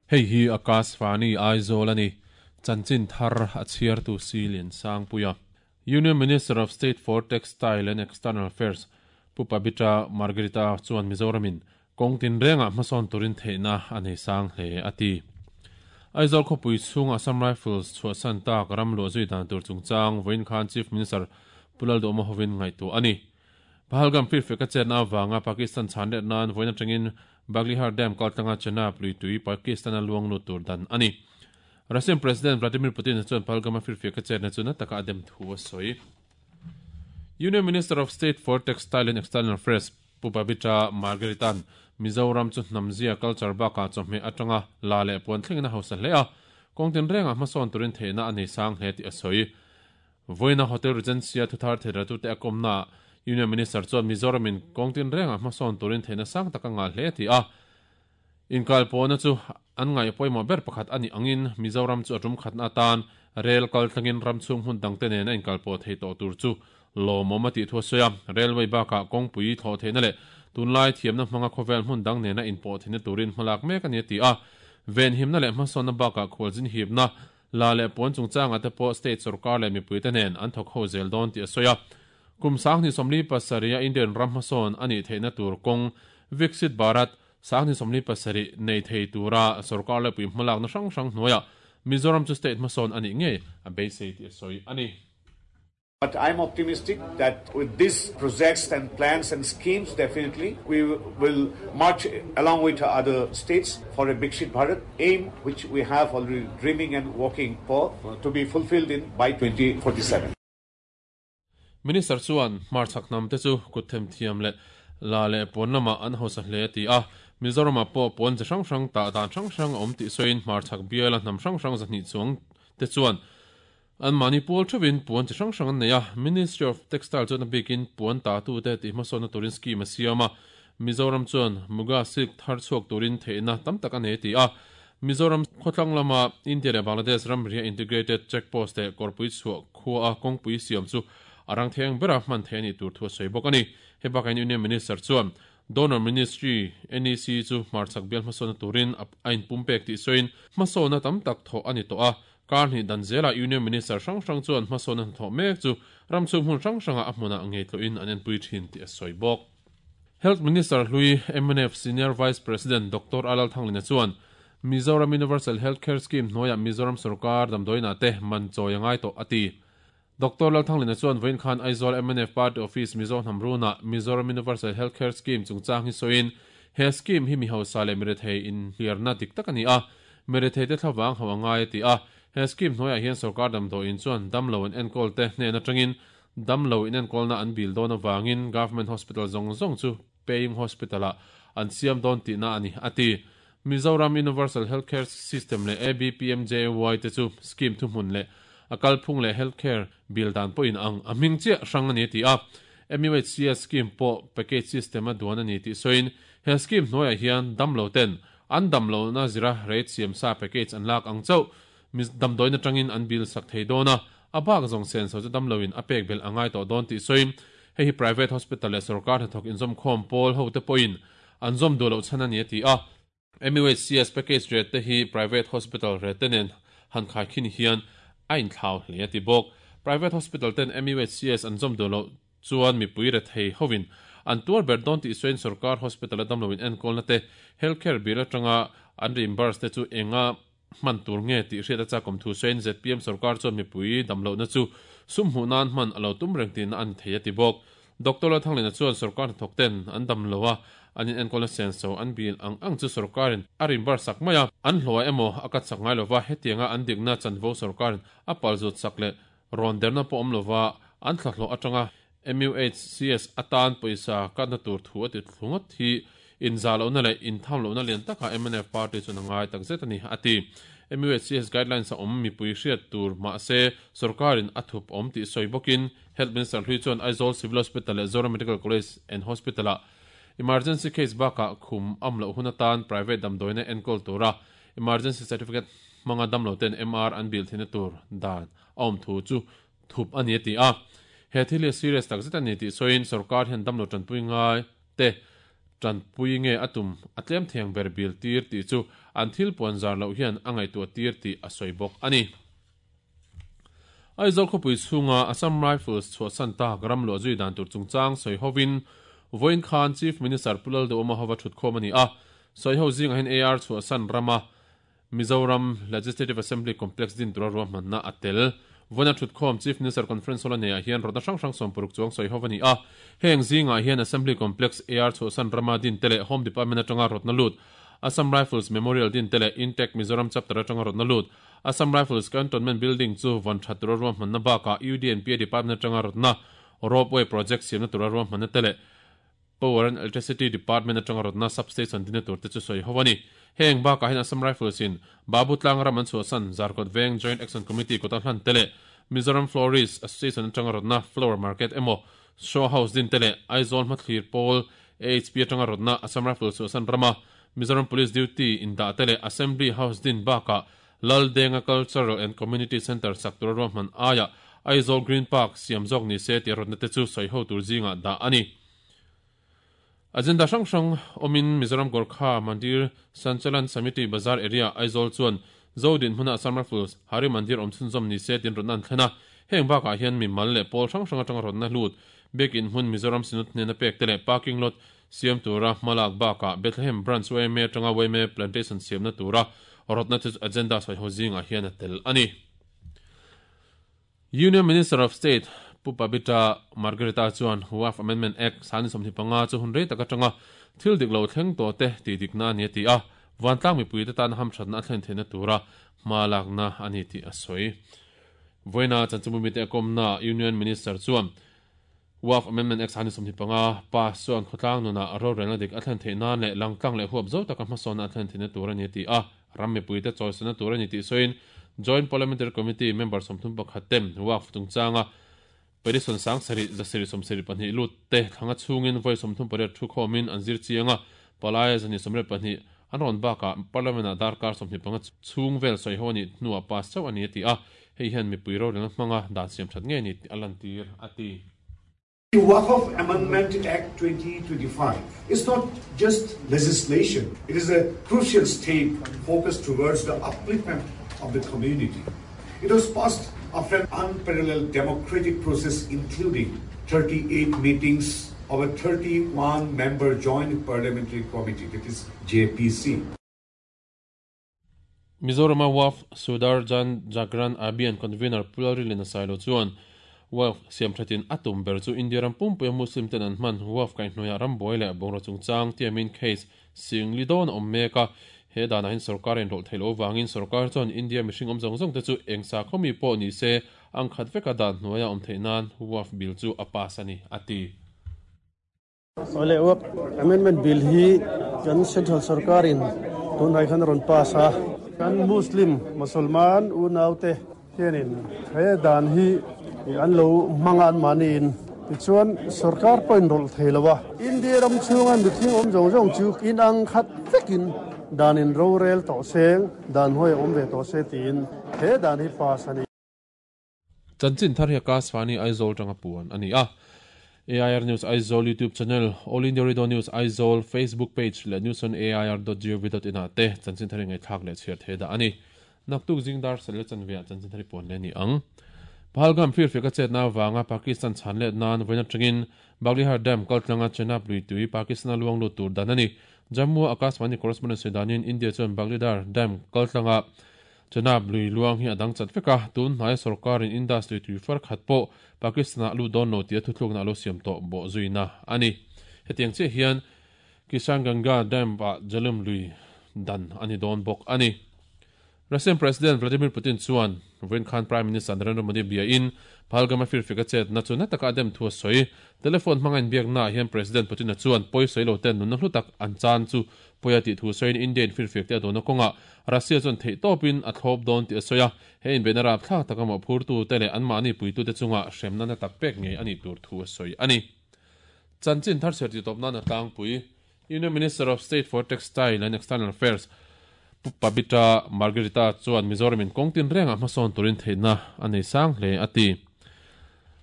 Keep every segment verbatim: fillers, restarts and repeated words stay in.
Hei hi Akashvani Aizawl ani chanchin thar a chhiar tu Silian Sangpuia. Union Minister of State for Textile and External Affairs Pu Pabitra Margarita chuan Mizoramin kawng tin renga hmasawn turin theihna a nei sang hle ati. Aizawl khawpui chhung Assam Rifles chhuahsan tak ram luah zui dan tur chungchang vawiin khan Chief Minister Pu Lalduhoma hovin ngaihtuah ani. Pahalgam firfek a chetna avanga Pakistan chhan let nan vawiin atangin Baglihar Dam kaltlanga Chenab lui tui Pakistan a luang lut tur dan ani. Russian President Vladimir Putin chuan Pahalgam a firfek a chetna chu na taka a dem thu a sawi. Union Minister of State for Textile and External Affairs Pu Pabitra Margaritan Mizoram chu hnamzia culture baka chawhmeh atanga la leh puan thlengin a hausa hle a kawng tin renga hmasawn turin theihna a nei sang hle tih a sawi. Vawiina Hotel Regency a thuthar theiratu te a kawmna Union Minister chuan Mizoramin kawng tin renga hmasawn turin theihna sang taka ngah hle ti a. Inkal pawhna chu an ngai pawimawh ber pakhat ani angin Mizoram chu a tum khatna atan rel kal thlengin ram chhung hmun dangte nen a inkal pawh thei tawh tur chu lawmawm a tih thu a sawi a. Railway bakah kawngpui thlawh theihna leh tunlai thiamna hmanga khawvel hmun dang nena inpawh theihna turin hmalak mek ani a ti a. Venhimna leh hmasawnna bakah khualzin hipna la leh puan chungchanga te pawh state sarkar leh mipuite nen an thawk ho zel dawn tih a sawi a. Kum sanghnih sawmli pasarih a Indian ram hmasawn ani theihna tur kawng Viksit Bharat sanghnih sawmli pasarih nei thei tura sarkar leh pui hmalakna hrang hrang hnuaiah Mizoram chu state hmasawn ani ngei a beisei tih a sawi ani. But I'm optimistic that with these projects and plans and schemes, definitely we will march along with other states for a Viksit Bharat aim, which we have already dreaming and working for to be fulfilled in by twenty forty-seven. Minister chuan hmarchhak hnam te chu kut them thiam leh la leh puan lama an hausa hle ti a. Mizoram pawh puan chi hrang hrang tah dan hrang hrang a awm tih sawiin hmarchhak biala hnam hrang hrang zahnih chuang te chuan an mahni pawl theuhin puan chi hrang hrang an nei a. Ministry of Textile chuan a bikin puan ta tu te tih hmasawnna turin scheme a siam a. Mizoram chuan Muga silk thar chhuak turin theihna tam tak a nei ti a. Mizoram khawtlang lama India leh Bangladesh ram ria integrated checkpost te kawrpui chhuah khua a kawngpui siam chu arang theng bera hman thei ani tur thu a sawi bawk ani. He bakain Union Minister chuan Donor Ministry N E C chu hmarchhak bial hmasawnna turin a inpumpek tih sawiin hmasawnna tam tak thawh ani tawh a. Karni danzela Union Minister hrang hrang chuan hmasawnna thawh mek chu ram chhung hmun hrang hranga a hmuna ngei tloin an enpui thin tih a sawi bawk. Health Minister Hlui M N F Senior Vice President Doctor Alal Thanglina chuan Mizoram Universal Healthcare Scheme hnuaiah Mizoram sarkar damdawiina te man chawi a ngai tawh ati. Doctor Lal Thanglina chuan vawiin khan Aizawl M N F Party Office Mizo Hnamruna Mizoram Universal Healthcare Scheme chungchang hi sawiin he scheme hi mi hausa leh mirethei in hliarna dik tak ani a. Mirethei te thlavang ho a ngai ati a. He scheme hnuaiah hian sarkar damdawiin chuan damlo an enkawl te hnen atangin damlo in enkawlna an bil dawn awangin government hospital zawng zawng chu paying hospital a an siam dawn tihna ani ati. Mizoram Universal Healthcare System leh A B P M J A Y te chu scheme thuhmun leh a kalphung leh healthcare bill dan pawhin ang a hming chiah hrang ani ti a. M U H C S scheme pawh package system a duan ani tih sawiin he scheme hnuaiah hian damlo ten an damlo na zira rate siam sa package an lak ang chauh damdawiin atangin an bill sak thei dawn a. A bak zawng sen so chu damloin a pek bel angai tawh dawn tih sawiin hei hi private hospital leh sarkar hnathawk inzawm khawm pawl ho te pawhin an zawm duh loh chhan ani a ti a. M U H C S package rate te hi private hospital rate te nen han khai khin hian a inthlau hle a ti bawk. Private hospital ten M U H C S an zawm duh loh chuan mipui re thei hovin an tuar ber dawn tih sawiin sarkar hospital a damloin enkawlna te healthcare bill atanga an reimburse te chu enga hman tur nge tih hriat a chakom thu sawiin Z P M sarkar chuan mipui damlohna chu sum hmuh nan hman a lo tum reng tihna an thei a ti bawk. Doctor Lal Thanglina chuan sarkar hnathawk ten an damlo a an in enkawlna sen so an bil ang ang chu sarkarin a reimburse sak mai a. An hlawh emaw a kat sak ngai lova hetianga an dikna chanvo sarkarin a palzut sak leh rawn derna pawh awm lova an thlahlawh atanga M U H C S atan pawisa katna tur thu a ti thlungat hi inzalona leh inthamlohna lian taka M N F party chuan a ngai tak zet ani ati. M U H C S guidelines a awm mipui hriat tur mahse sarkarin a thup awm tih sawi bawkin Health Minister Hlui chuan Aizawl Civil Hospital leh Zoram Medical College and Hospital a emergency case bakah khum am loh hun atan private damdawiina enkawl tura emergency certificate hmanga damlo ten M R an bil theihna tur dan a awm thu chu thup ani a ti a. He thil hi serious tak zet ani tih sawiin sarkar hian damlo tanpui ngai te Tanpui nge atum atlem theng ber bil tir ti chu an thil puan zar lo hian angai tu tir ti a sawi bawk ani. Aizawl khawpui chhunga Assam Rifles chhuahsan tak ram luah zui dan tur chungchang sawi hovin vawiin khan Chief Minister Pu Lalduhoma hova thut khawm ani a. Sawi ho zingah hian A R chhuahsan rama Mizoram Legislative Assembly Complex din tura ruahmanna a tel. Vawiina thut khawm Chief Minister Conference Hall a neihah hian rawtna hrang hrang sawmpuruk chuang sawi ho ani a. Heng zingah hian Assembly Complex A R chhuahsan rama din te leh Home Department atanga rawtna lut Assam Rifles Memorial din te leh Intech Mizoram Chapter atanga rawtna lut Assam Rifles Cantonment Building chu vawn that tura ruahmanna bakah U D N P A Department atanga rawtna Ropeway Project siamna tura ruahmanna te leh Power and Electricity Department atanga rawtna substation dinna tur te chu sawi ho ani. Heng bakah hian Assam Rifles in Babu Tlang ram an chhuahsan Zarkawt Veng Joint Action Committee kawta hlan te leh Mizoram Florist Association atanga rawtna Flower Market emaw Show House din te leh Aizawl Hmathlir Pawl A H P atanga rawtna Assam Rifles chhuahsan rama Mizoram Police Duty in dah te leh Assembly House din bakah Laldenga Cultural and Community Center sak tura ruahman aia Aizawl Green Park siam zawk ni se ti rawtna te chu sawi ho tur zinga dah ani. Agenda hrang hrang awmin Mizoram Gorkha Mandir Sanchalan Samiti Bazar Area Aizawl chuan Zodin hmuna Assam Rifles Hari Mandir awm chhunzawm ni se tin rawtna an thlen a. Heng bakah hian mi mal leh pawl hrang hrang atanga rawtna hlut biakin hmun Mizoram Synod hnena pek te leh parking lot siam tura hmalak bakah Bethlehem Branch Y M A atanga Y M A Plantation siamna tura rawtna chu agenda sawi ho zingah hian a tel ani. Union Minister of State Pu Pabitra Margarita chuan Waqf Amendment Act sani sawmhnih panga chu hun rei tak atanga thil dik lo thleng tawh te ti dikna ani a ti a. Vantlang mipui te tan hamthatna a thlen theihna tura hma lakna ani tih a sawi. Vawiina chanchinbumi te a kawmna Union Minister chuan Waqf Amendment Act sani sawmhnih panga pass chuan khawtlang nunah rorelna dik a thlen theih nan leh langtlang leh huap zo taka hmasawnna a thlen theihna tur ani a ti a. Ram mipui te chawisana tur ani tih sawiin Joint Parliamentary Committee member sawmthum pakhat ten Waqf chungchanga petition sang sari zasiri sawmsarih pahnih lut te thlanga chhungin vawi sawmthum pariat thu khawmin an zir chianga palai zani sawmriat pahnih an rawn bakah parliament ah darkar sawmhnih panga chhung vel sawi ho ani hnuah pass chauh ani a ti a. Hei hian mipui rorelna hmanga dan siam that nge ni a lan tir a ti. The Waqf Amendment Act twenty twenty-five is not just legislation. It is a crucial step focused towards the upliftment of the community. It was passed after an unparalleled democratic process including thirty-eight meetings of a thirty-one member joint parliamentary committee, that is J P C. Mizoram Waqf Sudar Jan Jagran Abhiyan convener Pu Lalrinliana Sailo chuan Waqf siam thatin atum ber chu India ram pumpui Muslim ten an hman Waqf kai hnuaiah ram buai leh bungraw chungchang tiamin case sing li dawn awm mek a. He danah hin sarkar in rawlh theilo wangin sarkar chuan India mihring awm zawng zawng te chu eng sa khawmi pawh ni se ang khat veka dan hnuaiah awm theih nan Waqf bill chu a pass ani a ti. Ole Waqf Amendment Bill hi kan Central Sarkarin tunai khan rawn pass a. Kan Muslim Musalman unau te hianin he dan hi an lo hmanga an mahniin tichuan sarkar pawhin rawlh thei lo a. India ram chhunga mihring awm zawng zawng chu in ang khat vekin dan in rorel tawh seng dan hnuai awm ve tawh se tiin he dan hi pass ani. Chanchin thar hi Akashvani Aizawl tanga puan ani a. A I R News Aizawl YouTube channel, All India Radio News Aizawl Facebook page leh news on A I R dot gov dot in ah te chanchin thar hi ngaihthlak leh chhiar thei dah ani. Naktuk zingdar sel chanvia chanchin thar hi puan le ni ang. Pahalgam fir fika chetna wanga Pakistan chanlet nan vawiin atangin Baglihar Dam kaltlanga Chenab lui tui Pakistan luang lut tur dan ani. Jammu Akashvani correspondent Sudanin India chuan Baglihar Dam kaltlanga Chenab lui luang hi adang chat veka tun hnai sarkarin industry tui far khat pawh Pakistan lu don lo tia thuthlukna lo siam tawh bawh zuina ani. Hetiang che hian Kishan Ganga Dam ah Jalum lui dan ani dawn bawk ani. Russian President Vladimir Putin chuan vawiin khan Prime Minister Narendra Modi bia in Pahalgam a firfika chetna chu na taka dem thu a sawi. Telephone hmanga inbiakna ah hian President Putin a chuan pawi sawi lo ten nunna hlu tak an chan chu pawi a tih thu sawiin Indian firfik te a dawna kawnga Russia chuan theih tawpin a thlawp dawn tih a sawi a. He inbeihna rap thlak taka mawh phurtu te leh anmahni puitu te chunga hremna na tak pek ngei ani tur thu a sawi ani. Chanchin thar ser ti tawp nan a tlangpui Union Minister of State for Textile and External Affairs Pu Pabitra Margarita chuan Mizoramin kawngtin renga hmasawn turin theihna a nei sang hle a ti.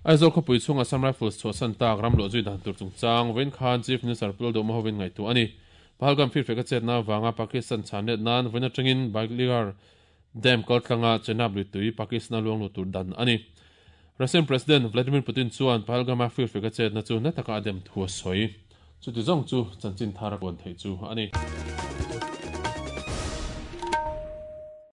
Aizawl khawpui chhung Assam Rifles chhuahsan tak ram luah zui dan tur chungchang vawiin khan Chief Minister Pu Lalduhoma hovin ngaihtuah a ni. Pahalgam firfek a chetna avanga Pakistan chhan let nan vawiin atangin Baglighar Dam kaltlanga Chenab lui tui Pakistan a luang lut tur dan a ni. Russian President Vladimir Putin chuan Pahalgam-a firfek a chetna chu na taka a dem thu a sawi. Chuti zawng chu chanchin thar a puan theih chu a ni.